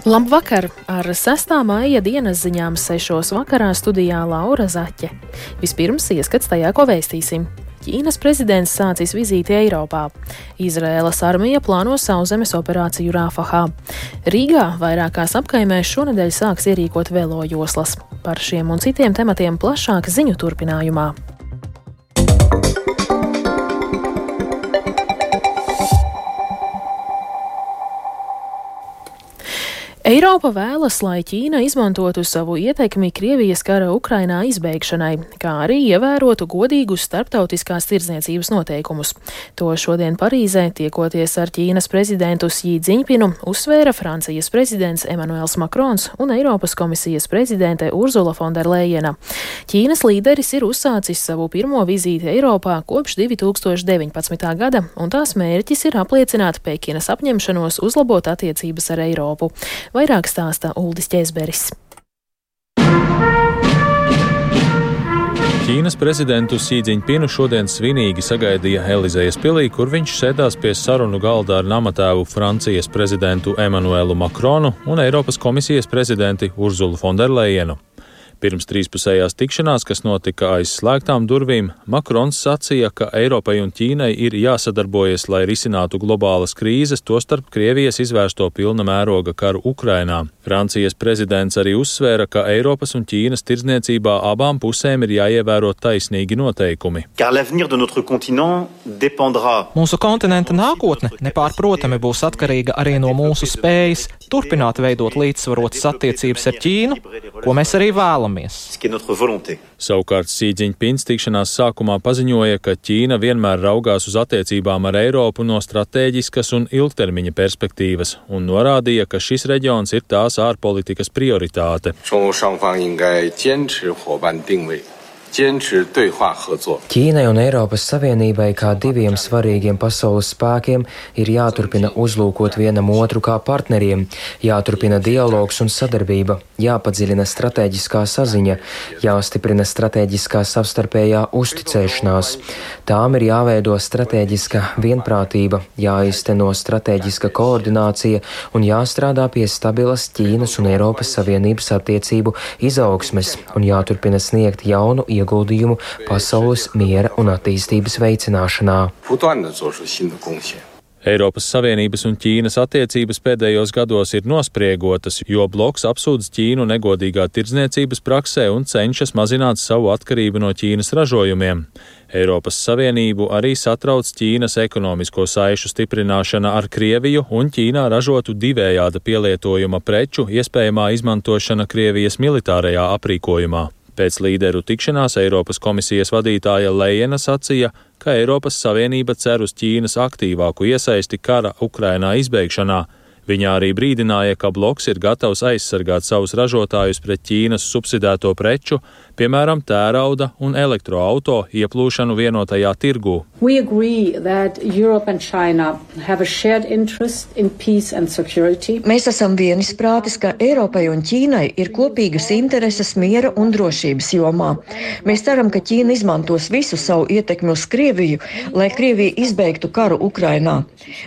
Labvakar! Ar 6. maija dienas ziņām 6. vakarā studijā Laura Zaķe. Vispirms ieskats tajā, ko vēstīsim. Ķīnas prezidents sācis vizīti Eiropā. Izraēlas armija plāno sauszemes operāciju Rafahā. Rīgā vairākās apkaimēs šonedēļ sāks ierīkot velojoslas. Par šiem un citiem tematiem plašāk ziņu turpinājumā. Eiropa vēlas, lai Ķīna izmantotu savu ietekmi Krievijas kara Ukrainā izbeigšanai, kā arī ievērotu godīgus starptautiskās tirdzniecības noteikumus. To šodien Parīzē, tiekoties ar Ķīnas prezidentu Xi Džiņpinu, uzsvēra Francijas prezidents Emmanuels Macrons un Eiropas komisijas prezidente Urzula Fonderlejena. Ķīnas līderis ir uzsācis savu pirmo vizīti Eiropā kopš 2019. gada, un tās mērķis ir apliecināt Pekinas apņemšanos uzlabot attiecības ar Eiropu. Vairāk stāsta Uldis Ķēzberis. Ķīnas prezidentu Xi Džiņpinu šodien svinīgi sagaidīja Elizejas pilī, kur viņš sēdās pie sarunu galda ar namatēvu Francijas prezidentu Emmanuelu Macronu un Eiropas komisijas prezidenti Urzulu Fonderlejenu. Pirms trīspusējās tikšanās, kas notika aiz slēgtām durvīm, Macrons sacīja, ka Eiropai un Ķīnai ir jāsadarbojas, lai risinātu globālas krīzes, tostarp Krievijas izvērsto pilna mēroga karu Ukrainā. Francijas prezidents arī uzsvēra, ka Eiropas un Ķīnas tirdzniecībā abām pusēm ir jāievēro taisnīgi noteikumi. Mūsu kontinenta nākotne nepārprotami būs atkarīga arī no mūsu spējas turpināt veidot līdzsvarotas attiecības ar Ķīnu, ko mēs arī vēlamies. Savukārt Xi Džiņpins tikšanās sākumā paziņoja, ka Ķīna vienmēr raugās uz attiecībām ar Eiropu no stratēģiskas un ilgtermiņa perspektīvas un norādīja, ka šis reģions ir tās ārpolitikas prioritāte. Ķīnai un Eiropas Savienībai kā diviem svarīgiem pasaules spēkiem ir jāturpina uzlūkot vienam otru kā partneriem, jāturpina dialogs un sadarbība, jāpadziļina stratēģiskā saziņa, jāstiprina stratēģiskā savstarpējā uzticēšanās. Tām ir jāveido stratēģiska vienprātība, jāizteno stratēģiska koordinācija un jāstrādā pie stabilas Ķīnas un Eiropas Savienības attiecību izaugsmes un jāturpina sniegt jaunu ieguldījumu pasaules miera un attīstības veicināšanā. Eiropas Savienības un Ķīnas attiecības pēdējos gados ir nospriegotas, jo bloks apsūdz Ķīnu negodīgā tirdzniecības praksē un cenšas mazināt savu atkarību no Ķīnas ražojumiem. Eiropas Savienību arī satrauc Ķīnas ekonomisko saišu stiprināšana ar Krieviju un Ķīnā ražotu divējāda pielietojuma preču iespējamā izmantošana Krievijas militārajā aprīkojumā. Pēc līderu tikšanās Eiropas komisijas vadītāja Lejena sacīja, ka Eiropas Savienība cer uz Ķīnas aktīvāku iesaisti kara Ukrainā izbeigšanā. Viņa arī brīdināja, ka bloks ir gatavs aizsargāt savus ražotājus pret Ķīnas subsidēto preču, piemēram, tērauda un elektroauto ieplūšanu vienotajā tirgū. Mēs esam vienisprātis, ka Eiropai un Ķīnai ir kopīgas intereses miera un drošības jomā. Mēs ceram, ka Ķīna izmantos visu savu ietekmi uz Krieviju, lai Krievija izbeigtu karu Ukrainā.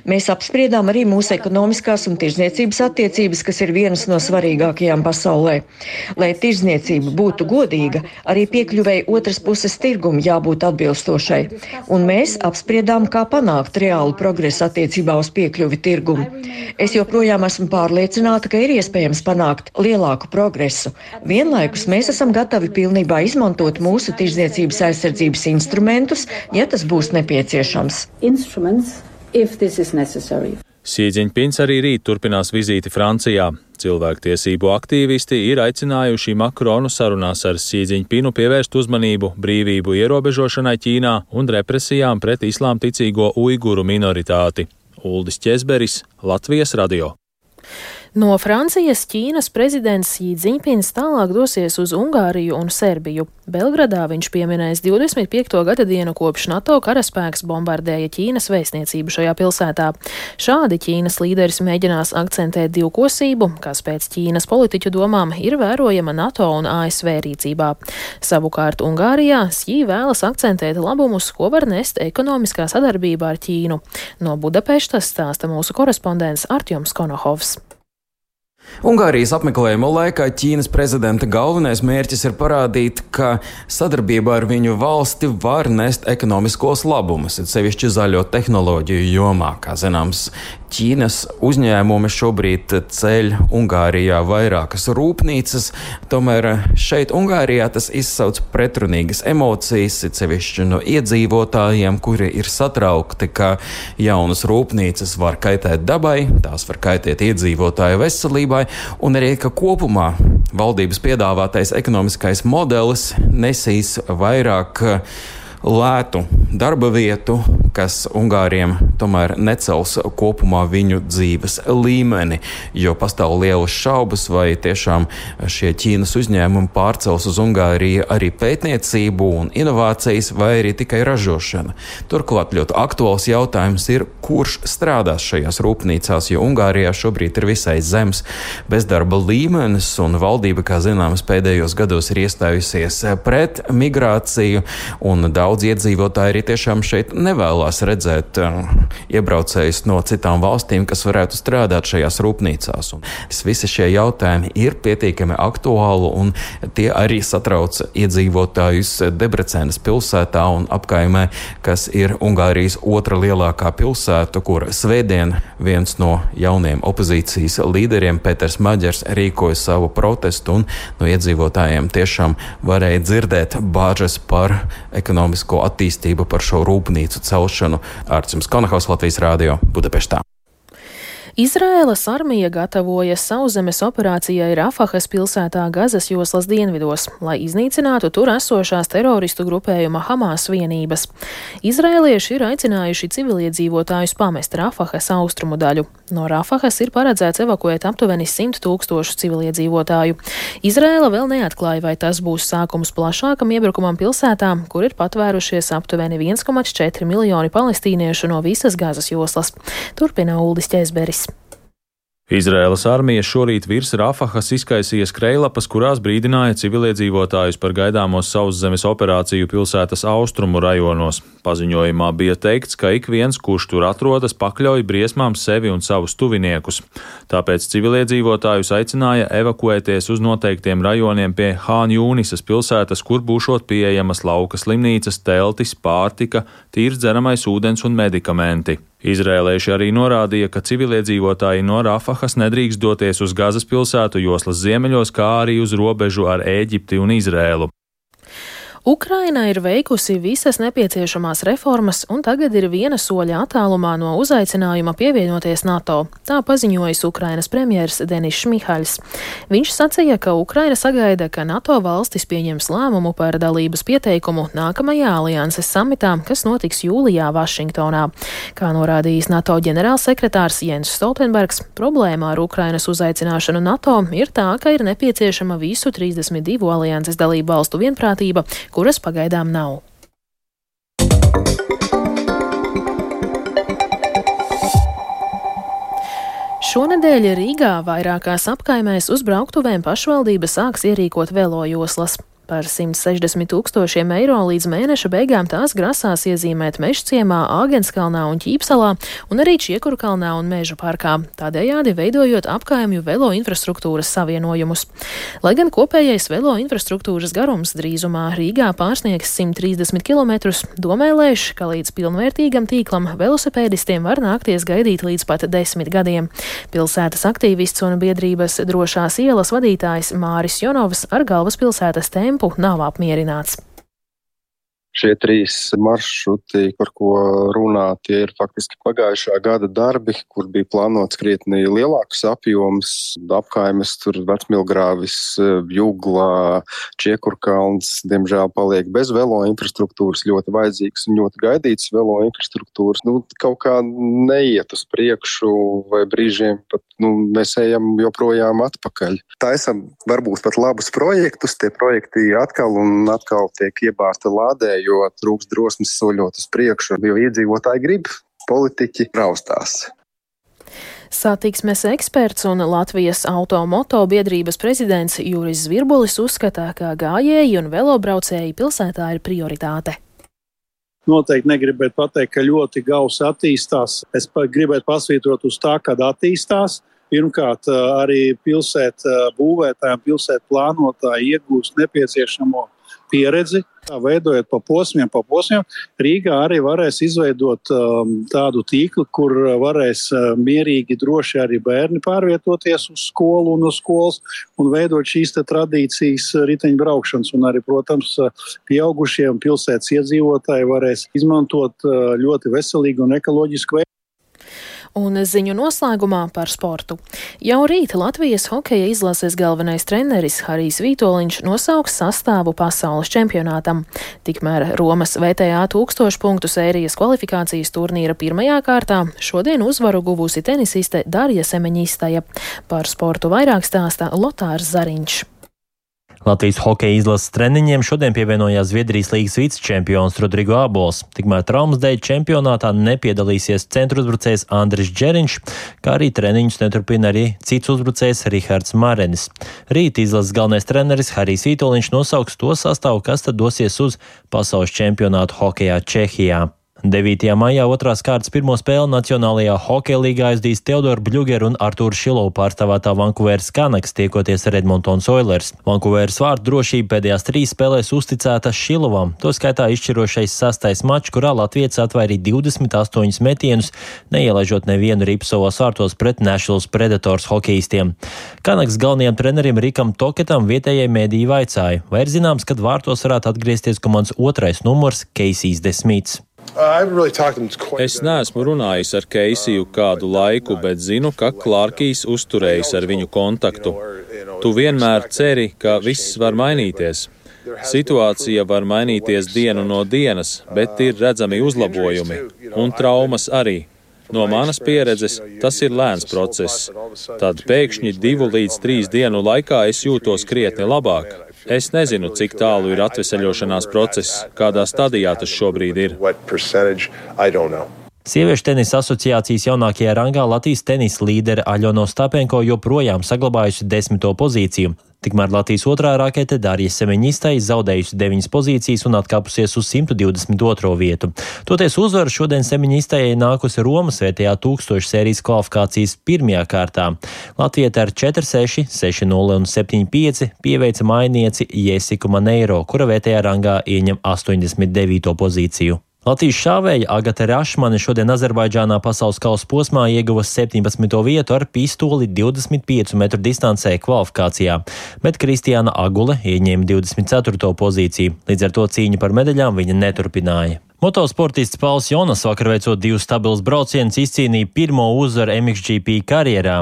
Mēs apspriedām arī mūsu ekonomiskās un tirdzniecības attiecības, kas ir vienas no svarīgākajām pasaulē. Lai tirdzniecība būtu godīga, arī piekļuvēji otras puses tirgumu jābūt atbilstošai. Un mēs apspriedām, kā panākt reālu progresu attiecībā uz piekļuvi tirgumu. Es joprojām esmu pārliecināta, ka ir iespējams panākt lielāku progresu. Vienlaikus mēs esam gatavi pilnībā izmantot mūsu tirdzniecības aizsardzības instrumentus, ja tas būs nepieciešams. Xi Džiņpins arī rīt turpinās vizīti Francijā. Cilvēktiesību aktīvisti ir aicinājuši Macronu sarunās ar Xi Džiņpinu pievērst uzmanību brīvību ierobežošanai Ķīnā un represijām pret islāmticīgo uiguru minoritāti. Uldis Ķēzberis, Latvijas radio. No Francijas Ķīnas prezidents Xi Džiņpins tālāk dosies uz Ungāriju un Serbiju. Belgradā viņš pieminēs 25. gada dienu kopš NATO karaspēks bombardēja Ķīnas vēstniecību šajā pilsētā. Šādi Ķīnas līderis mēģinās akcentēt divkosību, kas pēc Ķīnas politiķu domām ir vērojama NATO un ASV rīcībā. Savukārt Ungārijā Xi vēlas akcentēt labumus, ko var nest ekonomiskā sadarbība ar Ķīnu. No Budapeštas stāsta mūsu korespondents Artjoms Konohovs. Ungārijas apmeklējuma laikā Ķīnas prezidenta galvenais mērķis ir parādīt, ka sadarbībā ar viņu valsti var nest ekonomiskos labumus, it sevišķi zaļo tehnoloģiju jomā. Kā zināms, Ķīnas uzņēmumi šobrīd ceļ Ungārijā vairākas rūpnīcas, tomēr šeit Ungārijā tas izsauc pretrunīgas emocijas, it sevišķi no iedzīvotājiem, kuri ir satraukti, ka jaunas rūpnīcas var kaitēt dabai, tās var kaitēt iedzīvotāju veselībai, un arī, ka kopumā valdības piedāvātais ekonomiskais modelis nesīs vairāk lētu darba vietu, kas Ungāriem tomēr necels kopumā viņu dzīves līmeni, jo pastāv lielas šaubas, vai tiešām šie Ķīnas uzņēmumi pārcels uz Ungāriju arī pētniecību un inovācijas, vai arī tikai ražošana. Turklāt ļoti aktuāls jautājums ir, kurš strādās šajās rūpnīcās, jo Ungārijā šobrīd ir visai zems bezdarba līmenis, un valdība, kā zināms, pēdējos gados ir iestājusies pret migrāciju, un daudz iedzīvotāji arī tiešām šeit nevēlās redzēt iebraucējus no citām valstīm, kas varētu strādāt šajās rūpnīcās. Un visi šie jautājumi ir pietiekami aktuāli, un tie arī satrauc iedzīvotājus Debrecenas pilsētā un apkaimē, kas ir Ungārijas otra lielākā pilsēta, kur svētdien viens no jauniem opozīcijas līderiem, Peters Maģers, rīkoja savu protestu, un no iedzīvotājiem tiešām varēja dzirdēt bāžas par ekonomisko attīstību, par šo rūpnīcu celšanu. Ārcis Konahaus, Latvijas Rādio, Budapeštā. Izraēlas armija gatavojas sauszemes operācijai Rafahas pilsētā Gazas joslas dienvidos, lai iznīcinātu tur esošās teroristu grupējuma Hamas vienības. Izraēlieši ir aicinājuši civiliedzīvotājus pamest Rafahas austrumu daļu. No Rafahas ir paredzēts evakuēt aptuveni 100 000 civiliedzīvotāju. Izraēla vēl neatklāja, vai tas būs sākums plašākam iebrukumam pilsētā, kur ir patvērušies aptuveni 1,4 miljoni palestīniešu no visas Gazas joslas. Turpina Uldis Ķēzberis. Izraēlas armija šorīt virs Rafahas izkaisīja skrejlapas, kurās brīdināja civiliedzīvotājus par gaidāmo sauszemes operāciju pilsētas austrumu rajonos. Paziņojumā bija teikts, ka ik viens, kurš tur atrodas, pakļauj briesmām sevi un savus tuviniekus. Tāpēc civiliedzīvotājus aicināja evakuēties uz noteiktiem rajoniem pie Hān Jūnisas pilsētas, kur būšot pieejamas lauka slimnīcas, teltis, pārtika, tīrs dzeramais ūdens un medikamenti. Izrēlieši arī norādīja, ka civiliedzīvotāji no Rafahas nedrīkst doties uz Gazas pilsētu joslas ziemeļos, kā arī uz robežu ar Ēģipti un Izrēlu. Ukraina ir veikusi visas nepieciešamās reformas un tagad ir viena soļa attālumā no uzaicinājuma pievienoties NATO. Tā paziņojis Ukrainas premjers Denis Šmihaļs. Viņš sacīja, ka Ukraina sagaida, ka NATO valstis pieņems lēmumu par dalības pieteikumu nākamajā alianses samitā, kas notiks jūlijā Vašingtonā. Kā norādījis NATO ģenerālsekretārs Jens Stoltenbergs, problēma ar Ukrainas uzaicināšanu NATO ir tā, ka ir nepieciešama visu 32 alianses dalību valstu vienprātība, kuras pagaidām nav. Šonedēļ Rīgā vairākās apkaimēs uz brauktuvēm pašvaldība sāks ierīkot velojoslas. Par 160 000 eiro līdz mēneša beigām tās grasās iezīmēt Mežciemā, Āgenskalnā un Ķīpsalā, un arī Čiekurkalnā un Mežu parkā, tādējādi veidojot apkaimju velo infrastruktūras savienojumus. Lai gan kopējais velo infrastruktūras garums drīzumā Rīgā pārsniegs 130 km, domēlēš, ka līdz pilnvērtīgam tīklam velosipēdistiem var nākties gaidīt līdz pat 10 gadiem. Pilsētas aktīvists un biedrības Drošās ielas vadītājs Māris Jonovs ar galvaspilsētas tempu nav apmierināts. Šie 3 maršruti, par ko runā, tie ir faktiski pagājušā gada darbi, kur bija plānots krietni lielāks apjoms, apkaimes, tur Vecmilgrāvis, Jugla, Čiekurkalns, diemžēl paliek bez velo infrastruktūras, ļoti vajadzīgs un ļoti gaidīts velo infrastruktūras. Kaut kā neiet uz priekšu, vai brīžiem pat mēs ejam joprojām atpakaļ. Taisam varbūt pat labus projektus, tie projekti atkal un atkal tiek iebāzti lādē, jo trūks drosmes soļot uz priekšu, jo iedzīvotāji grib, politiķi raustās. Satiksmes eksperts un Latvijas automoto biedrības prezidents Juris Zvirbulis uzskata, ka gājēji un velobraucēji pilsētā ir prioritāte. Noteikti negribētu pateikt, ka ļoti gausi attīstās. Es gribētu pasvītrot uz tā, kad attīstās. pirmkārt arī pilsētu būvētājiem, pilsētu plānotāji iegūst nepieciešamo pieredzi, veidojot pa posmiem. Rīgā arī varēs izveidot tādu tīklu, kur varēs mierīgi, droši arī bērni pārvietoties uz skolu un uz skolas un veidot šīs tradīcijas riteņbraukšanas. Un arī, protams, pieaugušiem pilsētas iedzīvotāji varēs izmantot ļoti veselīgu un ekoloģisku veidu. Un ziņu noslēgumā par sportu. Jau rīt Latvijas hokeja izlases galvenais treneris Harijs Vitoļņš nosauks sastāvu pasaules čempionātam. Tikmēr Romas VTA 1000 punktu sērijas kvalifikācijas turnīra pirmajā kārtā šodien uzvaru guvusi tenisiste Darja Semeņistaja. Par sportu vairāk stāsta Lotārs Zariņš. Latvijas hokeja izlases treniņiem šodien pievienojās Zviedrijas līgas vicečempions Rodrigo Abols. Tikmēr traumas dēļ čempionātā nepiedalīsies centra uzbrucējs Andris Džeriņš, kā arī treniņus neturpina arī cits uzbrucējs Rihards Marenis. Rīt izlases galvenais treneris Harijs Vitoļņš nosauks to sastāvu, kas tad dosies uz pasaules čempionātu hokejā Čehijā. 9. maijā otrās kārtas pirmo spēli Nacionālajā hokeja līgā aizdīs Teodoru Bļugeru un Artūru Šilovu pārstāvētā Vankūveras Canucks tiekoties ar Edmontons Oilers. Vankūveras vārtu drošība pēdējās 3 spēlēs uzticēta Šilovam, to skaitā izšķirošais 6. mačs, kurā latvietis atvairīja 28 metienus, neielaižot nevienu ripu savos vārtos pret Nashvilles Predators hokejistiem. Canucks galvenajam trenerim Rikam Toketam vietējai mēdīji vaicāja, vai ir zināms, kad vārtos varētu atgriezties komandas otrais numurs Keisijs Desmīts. Es neesmu runājis ar Keisiju kādu laiku, bet zinu, ka Klārkijs uzturējis ar viņu kontaktu. Tu vienmēr ceri, ka viss var mainīties. Situācija var mainīties dienu no dienas, bet ir redzami uzlabojumi, un traumas arī. No manas pieredzes tas ir lēns process. Tad pēkšņi 2 līdz 3 dienu laikā es jūtos krietni labāk. Es nezinu, cik tālu ir atveseļošanās process, kādā stadijā tas šobrīd ir. Sieviešu tenisa asociācijas jaunākajā rangā Latvijas tenisa līdere Aļona Ostapenko joprojām saglabājusi 10. pozīciju. Tikmēr Latvijas otrā rakete Darja Semeņistai zaudējusi 9 pozīcijas un atkāpusies uz 122. vietu. Toties uzvaru šodien Semeņistai nākusi Romas VTA 1000 sērijas kvalifikācijas pirmajā kārtā. Latvieta ar 4-6, 6-0 un 7-5 pieveica mainieci Jesiku Maneiro, kura VTA rangā ieņem 89. pozīciju. Latvijas šāvēja Agate Rašmane šodien Azerbaidžānā pasaules kausa posmā ieguva 17. vietu ar pistoli 25 metru distancē kvalifikācijā, bet Kristiāna Agule ieņēma 24. pozīciju, līdz ar to cīņu par medaļām viņa neturpināja. Motosportists Pauls Jonas vakar veicot 2 stabilus braucienus izcīnīja pirmo uzvaru MXGP karjerā.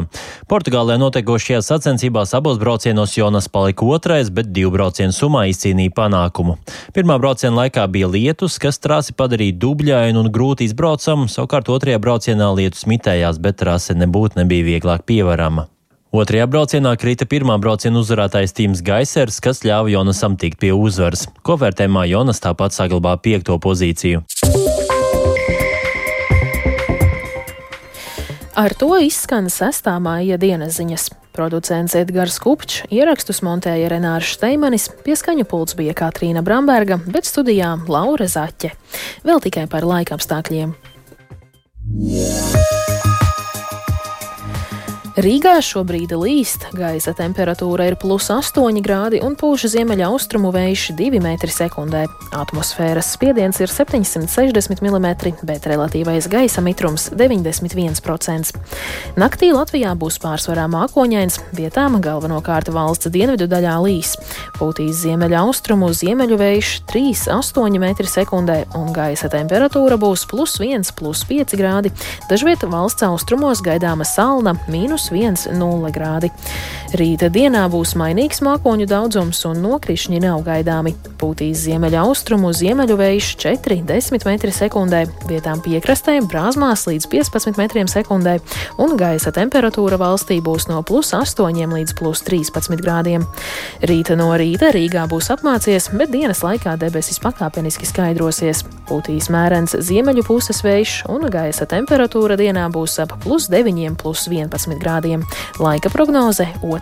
Portugālē notiekošajās sacensībās abos braucienos Jonas palika 2., bet 2 braucienu summā izcīnīja panākumu. Pirmā brauciena laikā bija lietus, kas trasi padarīja dubļainu un grūti izbraucamu, savukārt 2. braucienā lietus mitējās, bet trase nebija vieglāk pievarama. 2. braucienā krita pirmā brauciena uzvarētājs Tims Gaisers, kas ļāva Jonasam tikt pie uzvaras. Kopvērtējumā Jonas tāpat saglabā 5. pozīciju. Ar to izskan 6. maija dienas ziņas. Producents Edgars Kupčs, ierakstus montēja Renārs Šteimanis, pie skaņu pults bija Katrīna Bramberga, bet studijā Laura Zaķe. Vēl tikai par laikapstākļiem. Rīgā šobrīd līst, gaisa temperatūra ir +8 grādi un pūš ziemeļaustrumu vējš 2 metri sekundē. Atmosfēras spiediens ir 760 mm, bet relatīvais gaisa mitrums 91%. Naktī Latvijā būs pārsvarā mākoņains, vietām galvenokārt valsts dienvidu daļā līs. Pūtīs ziemeļaustrumu ziemeļu vējš 3,8 metri sekundē un gaisa temperatūra būs +1, +5 grādi. Dažviet valsts austrumos gaidāma salna -1,0 grādi. Rīta dienā būs mainīgs mākoņu daudzums un nokrišņi nav gaidāmi. Pūtīs ziemeļaustrumu ziemeļu vējš 4,10 metri sekundē, vietām piekrastē brāzmās līdz 15 metriem sekundē, un gaisa temperatūra valstī būs no +8 līdz +13 grādiem. Rīta no rīta Rīgā būs apmācies, bet dienas laikā debesis pakāpeniski skaidrosies. Pūtīs mērens ziemeļu puses vējš un gaisa temperatūra dienā būs ap +9, +11 grādiem. Laika prognoze 2.